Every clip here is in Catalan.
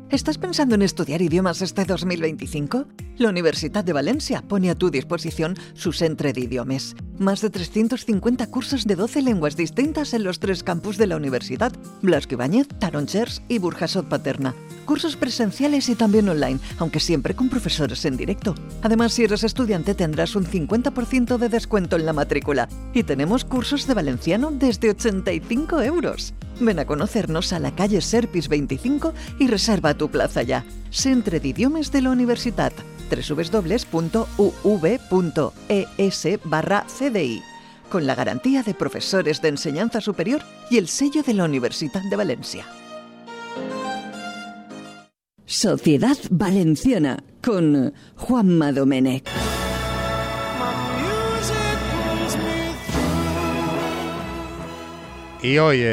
¿Estás pensando en estudiar idiomas este 2025? La Universitat de Valencia pone a tu disposición su centre d'idiomes. Más de 350 cursos de 12 lenguas distintas en los 3 campus de la universidad: Blasco Ibáñez, Tarongers y Burjasot Paterna. Cursos presenciales y también online, aunque siempre con profesores en directo. Además, si eres estudiante tendrás un 50% de descuento en la matrícula. Y tenemos cursos de valenciano desde 85 euros. Ven a conocernos a la calle Serpis 25 y reserva tu plaza ya. Centre d'Idiomes de la Universitat, www.uv.es/cdi, con la garantía de profesores de enseñanza superior y el sello de la Universitat de Valencia. Sociedad Valenciana con Juanma Domènech. Y hoy,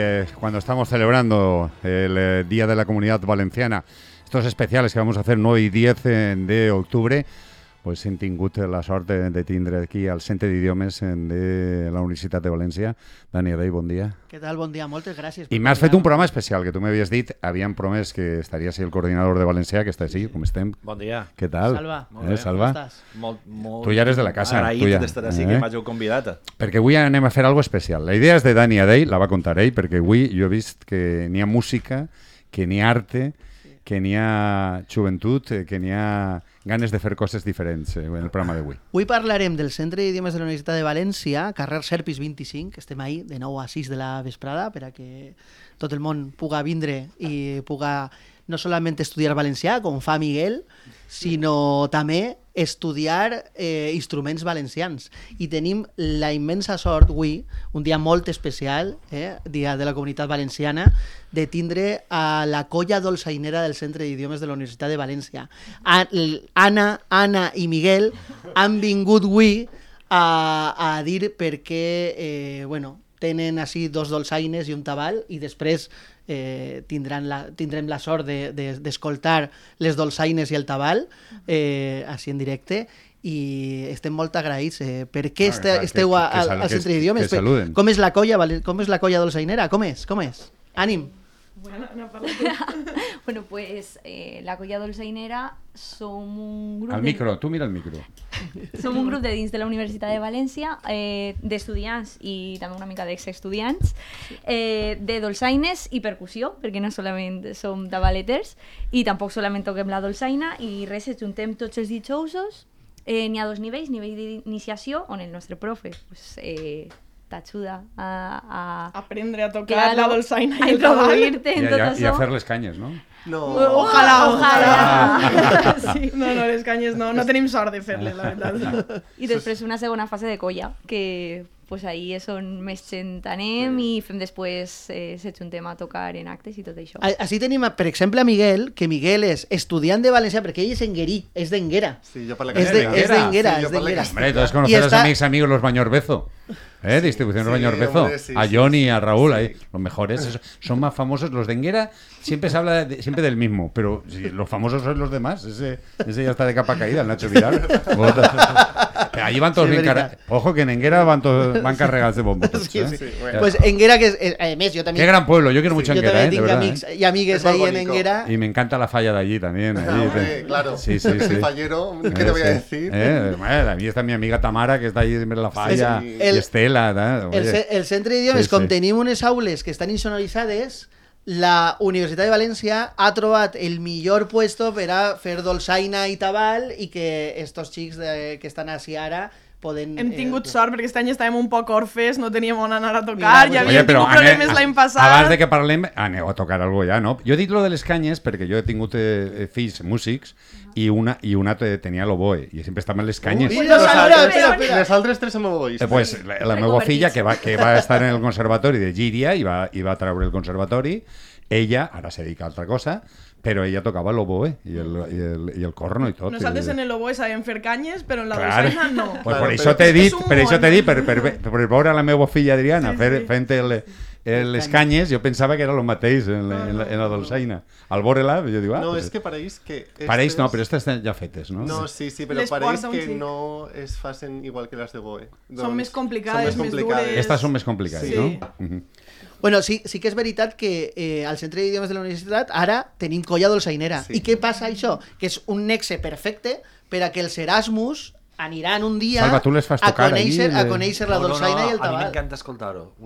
cuando estamos celebrando el Día de la Comunidad Valenciana, estos especiales que vamos a hacer 9 y 10 de octubre, pues hem tingut la sort de tindre aquí al Centre d'Idiomes de la Universitat de València. Dani Adey, bon dia. Què tal? Bon dia, moltes gràcies. I m'has fet un programa especial, que tu m'havies dit, havíem promès que estaries el coordinador de Valencià, que està així, com estem. Bon dia. Què tal? Salva. Salva? Com estàs? Molt Tu ja eres de la casa. agraït d'estar així, que m'hàgiu convidat. Perquè avui anem a fer alguna especial. La idea és de Dani Adey, la va contar ell, perquè avui jo he vist que n'hi ha música, que n'hi ha arte, que n'hi ha joventut, que n'hi ha ganes de fer coses diferents en el programa d'avui. Avui parlarem del Centre d'Idiomes de la Universitat de València, carrer Serpis 25, estem ahí de 9 a 6 de la vesprada per a que tot el món puga vindre i puga no solament estudiar valencià, com fa Miguel, sinó també estudiar instruments valencians. I tenim la immensa sort avui, un dia molt especial, Dia de la Comunitat Valenciana, de tindre a la colla dolçainera del Centre d'Idiomes de la Universitat de València. Anna i Miguel han vingut avui a dir per què tenen així 2 dolçaines i un tabal, i després tindrem la sort d'escoltar les dolçaines i el tabal així en directe, i estem molt agraïts. Per què esteu al Centre d'Idiomes? Com és la colla dolçainera? Com és? Ànim! Bueno, no bueno, pues la colla dolçainera som un grup... Al micro, tu mira el micro. Som un grup de dins de la Universitat de València, d'estudiants i també una mica d'exestudiants, de dolçaines i percussió, perquè no solament som tabaleters i tampoc solament toquem la dolçaina, i res, ens juntem tots els dijous. N'hi ha 2 nivells, nivell d'iniciació, on el nostre profe t'ajuda a aprendre a tocar la dolçaina i introduir-te en tot això. I a fer les canyes, no? No. Ojalà. Sí. No, les canyes no tenim sort de fer-les, la veritat. I després una segona fase de colla, que pues ahí és on més gent anem i fem després se juntem a tocar en actes i tot això. Així tenim, per exemple, a Miguel, que Miguel és estudiant de valencià, perquè ell és enguerí, és d'Enguera. Sí, yo para la És d'Enguera. Hombre, todos conocer a mis amigos los Bañorbezo. Distribución Los Bañorbezo. A Johnny, a Raúl, ahí, los mejores. Son más famosos. Los de Enguera siempre se habla siempre del mismo, pero si los famosos son los demás. Ese ya está de capa caída, el Nacho Vidal. Allí van todos bien cargados. Ojo que en Enguera van cargados de bombos. Sí. Bueno. Pues Enguera, que es, además, yo también... Qué gran pueblo, yo quiero mucho Enguera. Yo también tengo amics y amigues ahí en Enguera. Y me encanta la falla de allí también. Claro, sí. Fallero, ¿qué te voy a decir? A mí está mi amiga Tamara, que está allí en la falla, y Estela. El Centre d'Idiomes, com tenim unes aules que estan insonoritzades, la Universitat de València ha trobat el millor puesto per a fer dolçaina i tabal, i que estos xics que estan així ara poden... Hem tingut sort perquè aquest any estàvem un poc orfes, no teníem on anar a tocar, ja havíem tingut problemes l'any passat. Abans de que parlem, aneu a tocar alguna cosa ja, no? Jo he dit lo de les canyes perquè jo he tingut fills músics i una tenia l'oboe i sempre estava en les canyes. Les altres 3 som obois. Pues la meva filla, que va estar en el conservatori de Llíria i va treure el conservatori, ella, ara se dedica a altra cosa, però ella tocava l'oboe i el corno i tot. Nosaltres en l'oboe sabem fer canyes, però en la dolçaina no. Pues per això t'he dit, per veure la meva filla Adriana fent les canyes, jo pensava que era el mateix en la dolçaina. Al veure-la, jo dic... No, és que pareix que... Pareix no, però aquestes ja fetes, no? No, sí, però pareix que no es facin igual que les de oboe. Són més complicades, més dures... Estas són més complicades, no? Bueno, sí que és veritat que al Centre d'Idiomes de la Universitat ara tenim colla dolçainera. I què passa això? Que és un nexe perfecte per a que els Erasmus aniran un dia Salva, tu les fas tocar a conèixer la dolçaina i el tabal. A mi m'encanta escoltar-ho.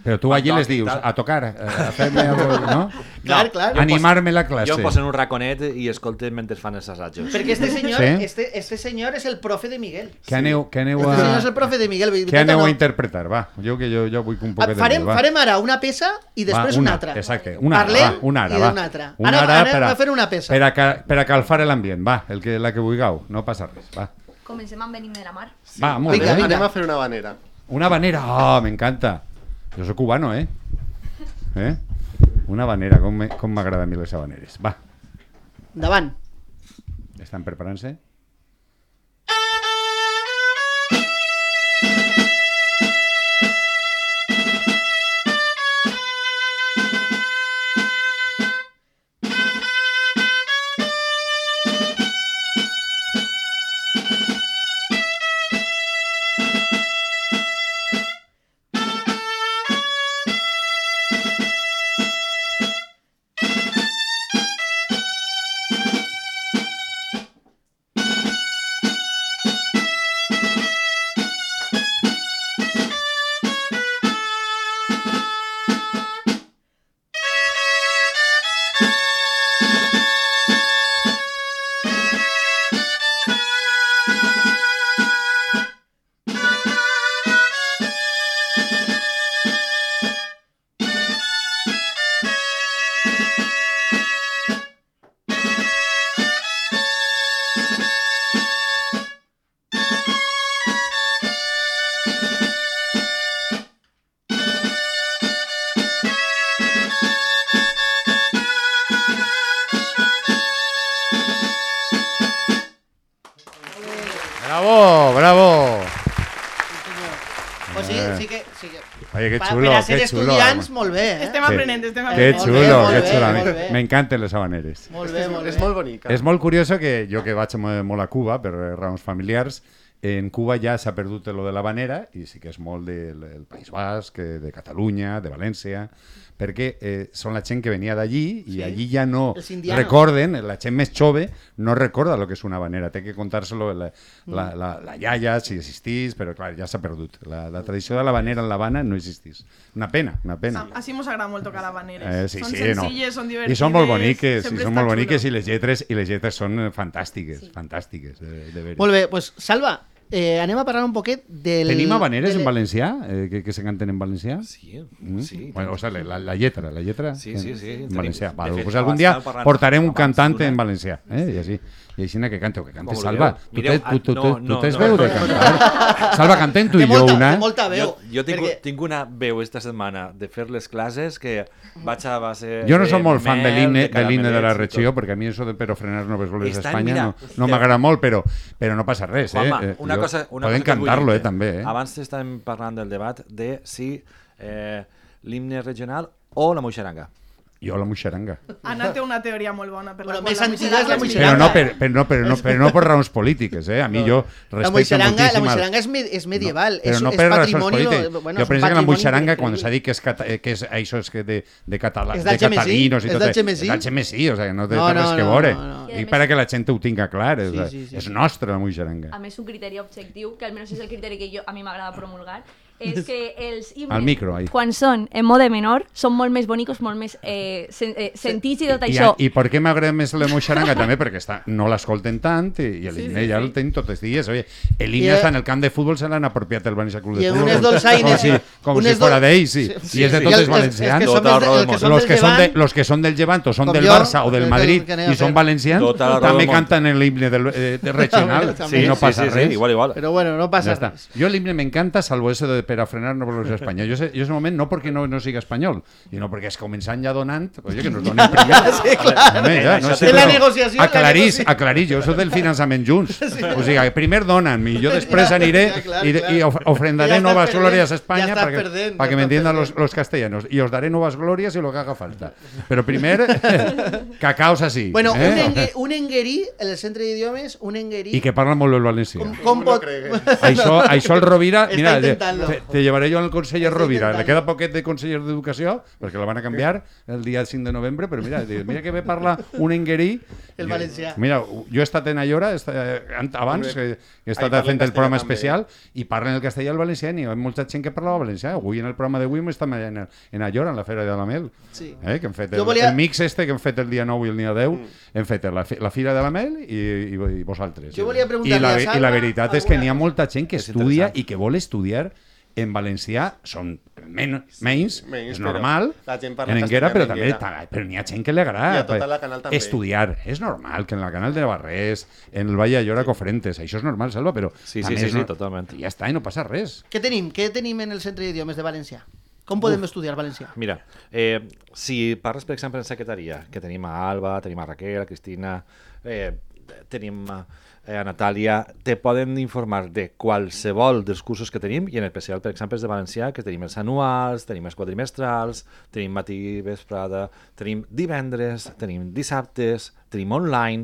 Però tu allí les dius, a tocar, a fer-me no? Clar. Animar-me la classe. Jo em poso en un raconet i escolto mentre fan els assajos. Perquè este senyor és el profe de Miguel. Què aneu Este senyor és el profe de Miguel. Què aneu a interpretar? Va, jo vull un poquet de Miguel. Farem ara una peça i després una altra. Exacte, Parlem una i d'una altra. Ara anem a fer una peça. Per a calfar l'ambient, va, la que vulgueu, no passa res, va. Comencem amb Venim de la Mar. Sí. Va, molt bé. Anem a fer una habanera. Una habanera, me encanta. Jo soc cubano, Una habanera, com m'agrada a mi les habaneres. Va. Endavant. Estan preparant-se? ¡Bravo! Pues sí que... Oye, qué chulo, per a ser qué chulo. estudiants, molt bé, Estem aprenent. Qué chulo, molt qué bé, chulo. molt bé. M'encanten les habaneres. Molt bé. És molt bonica. És molt curioso que jo que vaig molt a Cuba per raons familiars, en Cuba ja s'ha perdut lo de l'habanera i sí que és molt del País Basc, de Catalunya, de València, perquè són la gent que venia d'allí i allí ja no recorden, la gent més jove no recorda el que és una habanera, té que contar-se-lo la iaia, si existís, però clar, ja s'ha perdut. La tradició de l'habanera en l'Havana no existís. Una pena. Així mos agrada molt tocar habaneres. Són senzilles, són divertides. I són molt boniques, i les lletres són fantàstiques, de veres. Molt bé, doncs Salva, anem a parlar un poquet del... Tenim habaneres en valencià? Que se canten en valencià? Sí. Bueno, o sigui, la lletra. Sí. En valencià. Pues algun dia portarem un cantant en valencià. I així que cante Salva. Tu tens veu de cantar? Salva, cantem tu i jo una. Té molta veu. Jo tinc una veu esta setmana de fer les classes que vaig a base... Jo no soc molt fan de l'himne de la regió, perquè a mi això de Pero frenar no ves goles d'Espanya no m'agrada molt, però no passa res. Poden cantar-lo, també. Abans estàvem parlant del debat de si l'himne regional o la moixaranga. Jo la moixaranga. Anna té una teoria molt bona per la qual més antiga és la moixaranga. Però no per raons polítiques, A mi jo respecto moltíssim... La moixaranga és medieval, és Jo patrimoni... penso que la moixaranga, quan s'ha dit que és això de catalinos i tot... És d'Algemesí, o sigui, no té res que veure. I per que la gent ho tinga clar, és nostra la moixaranga. A més, un criteri objectiu, que almenys és el criteri que a mi m'agrada promulgar, és que els himnes, quan són en mode menor, són molt més bonics, molt més sentits i tot això. I per què m'agrada més la moixaranga? També perquè no l'escolten tant i l'himne ja el tenen tots els dies. L'himne està en el camp de futbol, se l'han apropiat el València Club de Futbol. I unes dolçaines. Com si fora d'ells, i és de tots els valencians. Los que són del Llevant o són del Barça o del Madrid i són valencians, també canten l'himne regional i no passa res. Però bueno, no passa res. Jo l'himne m'encanta, salvo eso de Per a frenar no por España. Yo ese momento no porque no siga español, sino porque es començant ja donant, oye, que nos donen primer. Sí, clar. La negociació. Aclarir, jo soc del finançament junts. O sigui, primer donen, i jo després aniré y ofrendaré nuevas glorias a España para que me entiendan los castellanos. Y os daré nuevas glorias y lo que haga falta. Pero primer, cacaos así. Bueno, un enguerí, en el centre d'idiomes, un enguerí... I que parla molt el valencià. Com pot... Això el Rovira... Mira, te llevaré jo al conseller Rovira. Le queda poquet de conseller d'Educació, perquè la van a canviar el dia 5 de novembre, però mira que ve parlar un enguerí. El valencià. Mira, jo he estat en Ayora abans, que he estat fent el programa especial, i parlen el castellà i el valencià, i hi ha molta gent que parlava valencià. Avui en el programa d'avui estem en Ayora, en la Fera de la Mel, que hem fet el mix que hem fet el dia 9 i el dia 10, hem fet la Fira de la Mel i vosaltres. Jo volia preguntar-li a Salva... I la veritat és que n'hi ha molta gent que estudia i que vol estudiar en valencià, són menys, és normal, en Enguera, però n'hi ha gent que li agrada estudiar. És normal que en la Canal de Navarrés, en el Vall d'Allora, Cofrentes, això és normal, Salva, però sí, totalment. Ja està, i no passa res. Què tenim en el Centre d'Idiomes de València? Com podem estudiar valencià? Mira, si parles, per exemple, en secretaria, que tenim a Alba, tenim a Raquel, a Cristina, tenim a Natàlia, te poden informar de qualsevol dels cursos que tenim, i en especial, per exemple, de valencià, que tenim els anuals, tenim els quadrimestrals, tenim matí, vesprada, tenim divendres, tenim dissabtes, tenim online...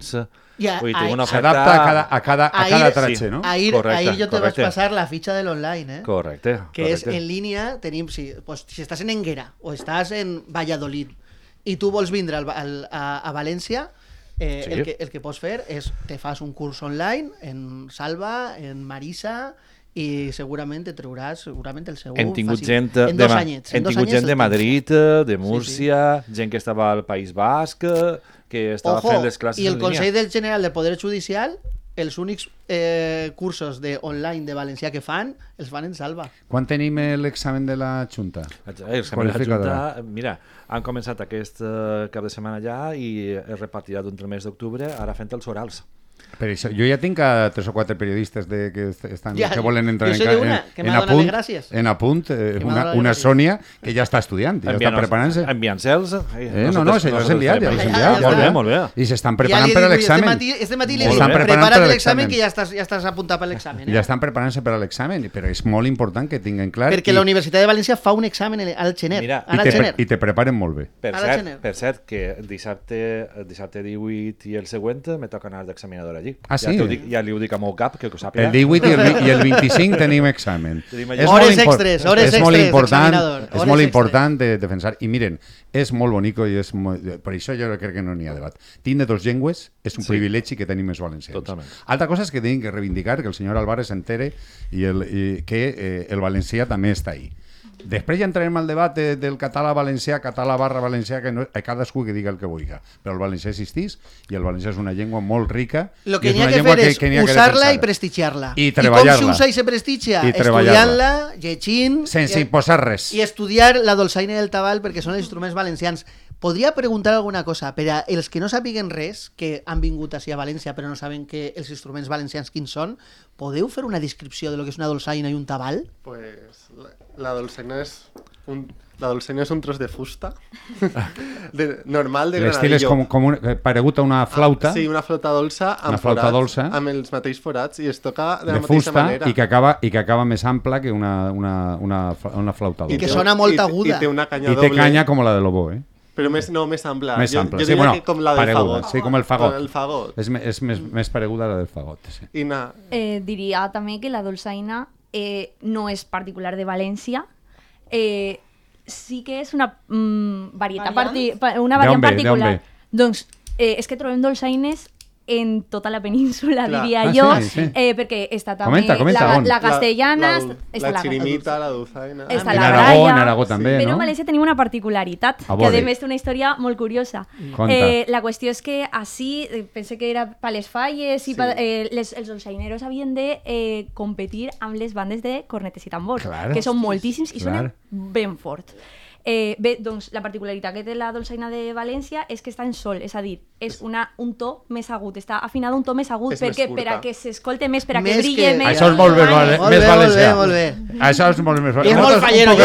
S'adapta a cada tratge, no? Ahir jo te vaig passar la fitxa de l'online, Correcte. Que és en línia, tenim, si estàs en Enguera o estàs en Valladolid i tu vols vindre a València, el que pots fer és te fas un curs online en Salva, en Marisa, i segurament te trauràs el seu hem tingut fàcil. Gent de Madrid, de Múrcia, gent que estava al País Basc, que estava fent les classes en línia. I el Consell del General del Poder Judicial, els únics cursos online de valencià que fan, els fan en Salva. Quan tenim l'examen de la Junta? L'examen de la Junta, mira, han començat aquest cap de setmana ja i es repartirà d'entre el mes d'octubre, ara fent els orals. Per això, jo ja tinc a 3 o 4 periodistes que volen entrar en apunt, una Sònia que ja està estudiant, ja està preparant-se. Enviant-se'ls. No, ja s'ha enviat. Molt bé. I s'estan preparant per a l'examen. Este matí li dic, prepara't l'examen que ja estàs apuntat per l'examen. Ja estan preparant-se per a l'examen, però és molt important que tinguin clar... Perquè la Universitat de València fa un examen al gener. I te preparen molt bé. Per cert, que dissabte 18 i el següent me toca anar d'examinador allí. Ah, sí? Ja li ho dic a meu cap, que ho sàpiga. El 18 i el 25 tenim examen. Hores extres, examinador. És molt important de defensar. I miren, és molt bonico i per això jo crec que no n'hi ha debat. Tindre 2 llengües és un privilegi que tenim els valencians. Totalment. Altra cosa és que tenim que reivindicar que el senyor Álvarez s'entere que el valencià també està ahí. Després ja entrarem al debat del català-valencià, català/valencià, que cadascú que diga el que vulgui. Però el valencià existeix i el valencià és una llengua molt rica. El que n'hi ha que fer és usar-la i prestigiar-la. I treballar-la. I com s'usa i se prestigia? Estudiant-la, llegint... Sense imposar res. I estudiar la dolçaina i el tabal perquè són els instruments valencians. Podria preguntar alguna cosa per a els que no sàpiguen res, que han vingut així a València però no saben que els instruments valencians quins són, podeu fer una descripció de lo que és una dolçaina i un tabal? Pues la dolçaina és un tros de fusta normal de granadillo. L'estil és paregut a una flauta. Sí, una flauta dolça amb els mateixos forats i es toca de la mateixa manera. I que acaba més ampla que una flauta dolça. I que sona molt aguda. I té canya com la de l'oboe, Però més ampla. Més ampla. Jo diria que com la del fagot. Sí, com el fagot. El fagot. És més pareguda a la del fagot. Sí. Diria també que la dolçaina no és particular de València. Sí que és una variant particular. Doncs és que trobem dolçaines en tota la península, diria jo, perquè està també la castellana, la xirimita, la dolçaina, està la Aragó, en Aragó també, però en València tenim una particularitat, que a més té una història molt curiosa. La qüestió és que així, pense que era per les falles, els dolçaineros havien de competir amb les bandes de cornetes i tambors, que són moltíssims i sonen ben fort. Bé, doncs la particularitat que té la dolçaina de València és que està en sol, és a dir, és un to més agut, està afinada un to més agut, perquè per a que s'escolte més, per a que brille més. Això és molt més valencià. Això és molt més valencià. És molt fallero,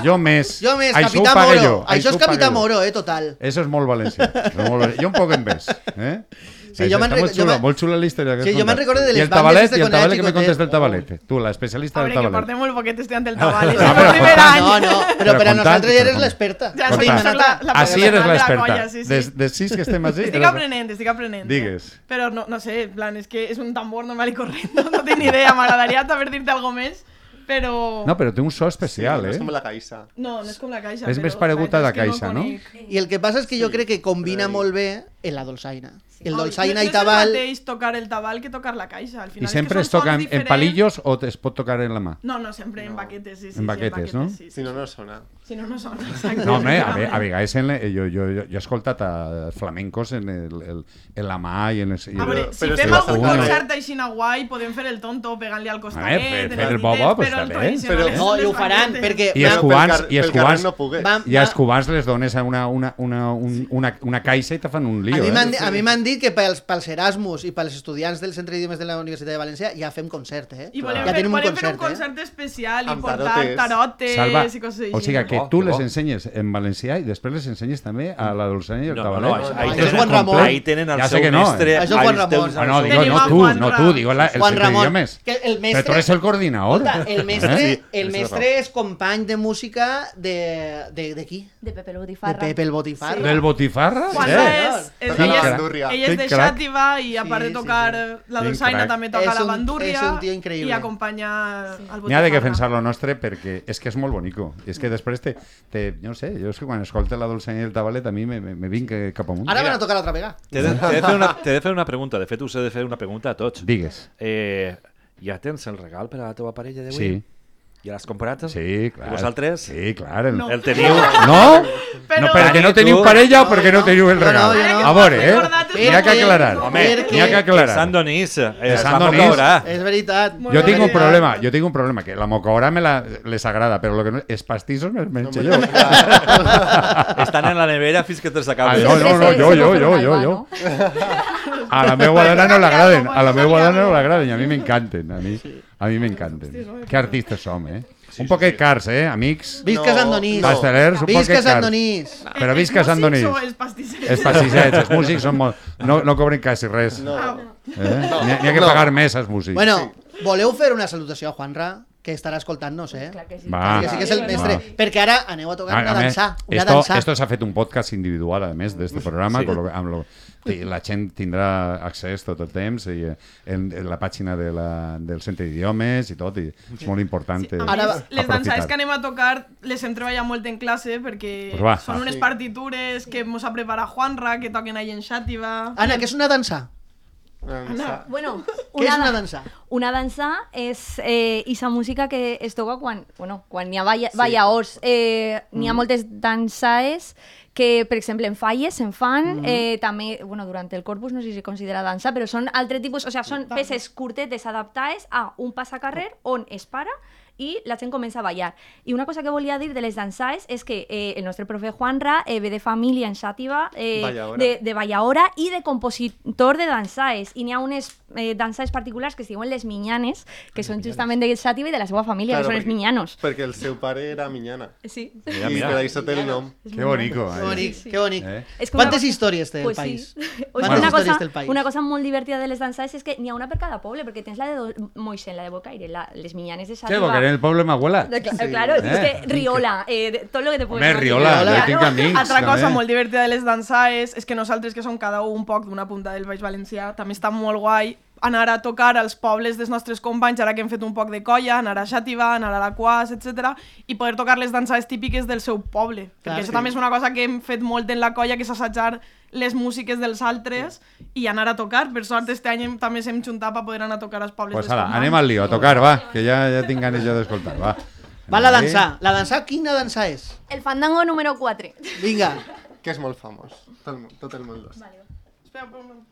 jo més. Capità Moro. Això és Capità Moro, total. Això és molt valencià. Jo un poc en ves, Sí, molt xula la història. Sí, jo me'n recordo de les bandes de Connecticut. I el tabalet que me contes del tabalet. Tu, l'especialista del tabalet. A veure, que portem molt poquet estudiant del tabalet. És el primer any. No, però per a nosaltres ja eres l'experta. Així eres l'experta. De 6 que estem així. Estic aprenent. Digues. Però no sé, en plan, és que és un tambor normal i corrent. No tinc ni idea, m'agradaria saber dir-te alguna més. Però... No, però té un so especial, No és eh? com la caixa. No és com la caixa. És però més paregut a la és que caixa, no? conec. I el que passa és que jo crec que combina molt bé en la dolçaina. El dolçaina i tabal... No és el mateix tocar el tabal que tocar la caixa. Al final I sempre és es que són toca sons en diferents. palillos o es pot tocar en la mà? No, sempre en baquetes, sí. En baquetes, no? Sí. Si no, no sona. Si no, no sona. Exacte. No, home, a vegades jo he escoltat a flamencos en la mà i en els... A veure, si Però fem sí, algun sí. concert així guai, podem fer el tonto pegant-li al costadet, fer en el les bobo, dites, pues però el està bé. tradicional és No, les i ho faran, baquetes. perquè... I els cubans, pel carrer no pogués. i als cubans les dones una caixa i te fan un lío. A mi m'han dit que pels Erasmus i pels estudiants del Centre d'Idiomes de la Universitat de València ja fem concert, eh? I volem Ja fer tenim un un concert, concert especial i Amb portar tarotes. tarotes Salva, i coses així. o sigui que tu que les bo. ensenyes en valencià i després les ensenyes també a la dolçaina i el No, tabalet. ahí Això és Juan Ramon. Ahí tenen el Ja sé seu que no, mestre. Això és Juan Ramon. Ah, no, digo, Tenim a Juan no Ra. tú, digo el Juan centre Ramon, d'idiomes. que el Però tu eres el coordinador. Escolta, el ¿Eh? mestre és company de música de qui? De Pepe el De Botifarra. Pepe el Botifarra. Del Botifarra? Juan Sí. és Toca la ell bandúrria. és de Quin crac. Xàtiva i a part de Sí, tocar la Quin dolçaina crac. també toca És la un- bandúrria és un tio increïble. i acompanya al Botifarra. N'hi ha de defensar lo nostre perquè és que és molt bonico. És que després no sé, jo és que quan escolta la dolçaina i el tabalet a mi me vinc cap amunt. Ara van a tocar l'altra vegada. T'he de fer una pregunta. De fet, us he de fer una pregunta a tots. Digues. Ja tens el regal per a la teva parella d'avui? Sí. Ja l'has comprat? Sí, clar. I vosaltres? Sí, clar. No. El teniu? No? Però- No, perquè no Dani, teniu tu- parella o perquè no teniu el regal? jo no. A veure, Recordat és n'hi ha que que- aclarar. Home, N'hi ha que aclarar. Sant Donís. Sant La Donís. mocaurà. És veritat. Jo tinc un problema, que la mocaora les agrada, però lo que no, els pastissos me'ls menjo jo. Estan en la nevera fins que te Ah, s'acabi. no, jo. No? A la meva dona no l'agraden, a la meva dona no l'agraden, i a mi m'encanten, a mi m'encanten. Que artistes som, eh? Un poquet cars, amics. Visca Sant Donís. Pastelers, un Visca poquet Sant cars. Donís. Però visca Sant Donís. Els pastissers. Els pastissets, els músics són molt... No cobren quasi res. N'hi ha que pagar més als músics. Bueno, voleu fer una salutació a Juanra, que estarà escoltant-nos, eh? Clar que sí. Va. Que sí que és el mestre. Va. Perquè ara aneu a tocar una dansa. Una esto, dansa. esto s'ha fet un podcast individual, a més, d'este programa, la gent tindrà accés tot el temps en la pàgina del Centre d'Idiomes i tot, i és molt important Les dansaires que anem a tocar les hem treballat molt en classe perquè Pues va. són unes partitures que mos ha preparat Juanra, que toquen ahí en Xàtiva. Anna, què és una dansa? Bueno, Què és una dansa? Una dansa és esa música que es toca quan hi ha ballaors. N'hi ha moltes dansaes que, per exemple, en falles se'n fan, també, durant el corpus no sé si considera dansa, però són altre tipus, o sigui, són peces curtetes adaptades a un passacarrer on es para i la gent comença a ballar. I una cosa que volia dir de les dansaes és que el nostre profe Juanra ve de família en Xàtiva de ballaora i de compositor de dansaes. I n'hi ha unes dansaes particulars que es diuen les minyanes, que són justament de Xàtiva i de la seva família, que són els minyanos. Perquè el seu pare era minyana. Sí. I per això té el nom. Que bonico. Que bonic. És que Quantes històries té el Pues país? sí. Quantes històries té el país? Una cosa molt divertida de les dansaes és que n'hi ha una per cada poble, perquè tens la de Moixent, la de Bocaire, les minyanes de Sí, Xàtiva. porque en el pueblo de mi abuela. Claro, es que Riola, todo lo que te puedes Home, Riola, jo tinc amics. Altra cosa també. molt divertida de les dansaes és que nosaltres, que som cada un poc d'una punta del Baix Valencià, també està molt guai anar a tocar als pobles dels nostres companys, ara que hem fet un poc de colla, anar a Xàtiva, anar a la Quas, etc. i poder tocar les dansaes típiques del seu poble. Perquè això també és una cosa que hem fet molt en la colla, que és assajar les músiques dels altres i anar a tocar. Per sort, este any també s'hem juntat per poder anar a tocar als pobles Pues dels ala, companys. anem al lío, a tocar, va, que ja tinc ganes jo d'escoltar, va. Va la dansa. La dansa, quina dansa és? El fandango número 4. Vinga. Que és molt famós. Tot el món lo sap. Espera, un moment.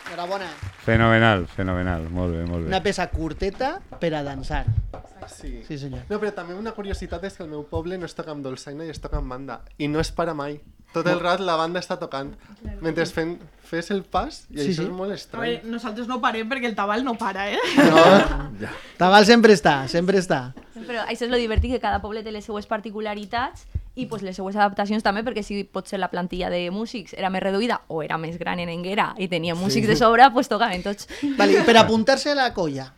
Enhorabona. Fenomenal, fenomenal, molt bé, molt bé. Una peça curteta per a dansar. Sí. Sí, senyor. No, però també una curiositat és que el meu poble no es toca amb dolçaina i es toca amb banda. I no es para mai. Tot el rat la banda està tocant. Mentre fes el pas, i Sí, això sí. és molt A estrany. veure, nosaltres no parem perquè el tabal no para, eh? No, Tabal sempre està, sempre està. Però això és lo divertit, que cada poble té les seues particularitats i pues, les seues adaptacions també, perquè si potser la plantilla de músics era més reduïda o era més gran en Enguera i tenia músics de sobre, pues tocaven tots. Vale, i per apuntar-se a la colla,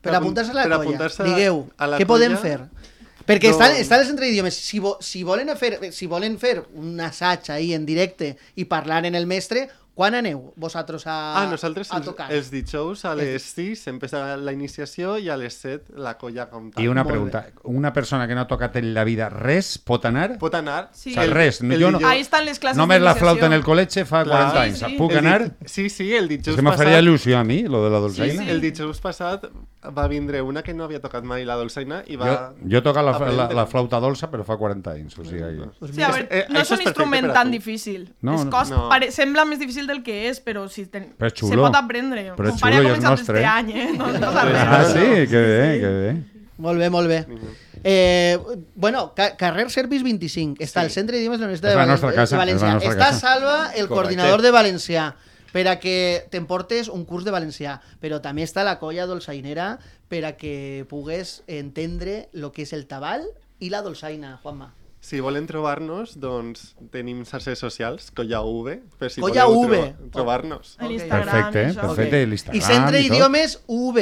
per apuntar-se a la per colla, apuntar-se digueu, a la què podem colla, fer? Perquè doncs- estan els centres d'idiomes. Si volen fer un assaig ahí en directe i parlar en el mestre, quan aneu vosaltres nosaltres a tocar? els dijous a les 6 empieza la iniciació i a les 7 la colla com tal. I una Molt pregunta, bé. una persona que no ha tocat en la vida res pot anar? Pot anar? Sí. O sigui, res. El Jo no, dijous- Ahí estan les classes només la d'iniciació. flauta en el col·legi fa Clar. 40 anys. Sí, sí. Puc El anar? Sí, el dijous És que me faria il·lusió a mi, lo de la dolçaina. El dijous passat va vindre una que no havia tocat mai la dolçaina i va... Jo he tocat aprendre. la flauta dolça, però fa 40 anys. O sigui, Sí, a veure, no és això un és perfecte instrument per a tan tu. difícil. No, És no. cost, No. sembla més difícil del que és, però si Però és se xulo. pot aprendre. Però és Mon pare xulo ha i és començat nostre, este eh? any, no passa res. Ah, sí? Que bé, que bé. Molt bé, molt bé. Bueno, carrer Servis 25, està al Centre d'Idiomes de la Universitat És la de nostra casa, València. és la nostra Està casa. Salva, el coordinador de valencià, per a que t'emportes un curs de valencià, però també està la colla dolçainera per a que pugues entendre el que és el tabal i la dolçaina, Juanma. Si volen trobar-nos, doncs tenim xarxes socials, Colla V, per si Colla voleu V. trobar-nos. A l'Instagram, Perfecte, això. perfecte. Ok. l'Instagram I Centre i tot. d'Idiomes UV,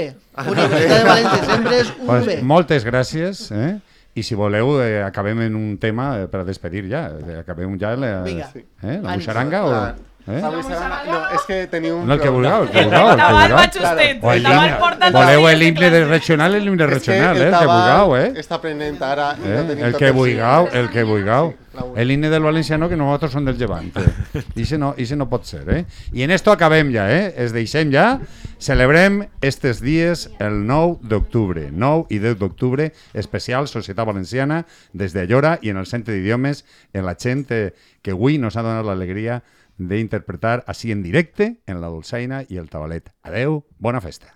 Universitat de València, sempre és Pues, UV. moltes gràcies. I si voleu, acabem en un tema per a despedir ja. Acabem ja la Vinga. la muixaranga o... No, és que teniu un No, el que vulgueu, el que El vulgueu. tabal va justet. O El el tabal himne. porta Voleu l'himne regional, l'himne regional, el que vulgueu, Està aprenent ara i no tenim El tot que vulgueu, sí. el que vulgueu. La El himne del valenciano, que nosaltres som del llevant. Ixe no pot ser, I en esto acabem ja, Es deixem ja. Celebrem estes dies el 9 d'octubre. 9 i 10 d'octubre, especial Societat Valenciana, des de Allora i en el Centre d'Idiomes, en la gent que avui nos ha donat l'alegria d'interpretar així en directe en la dolçaina i el tabalet. Adeu, bona festa.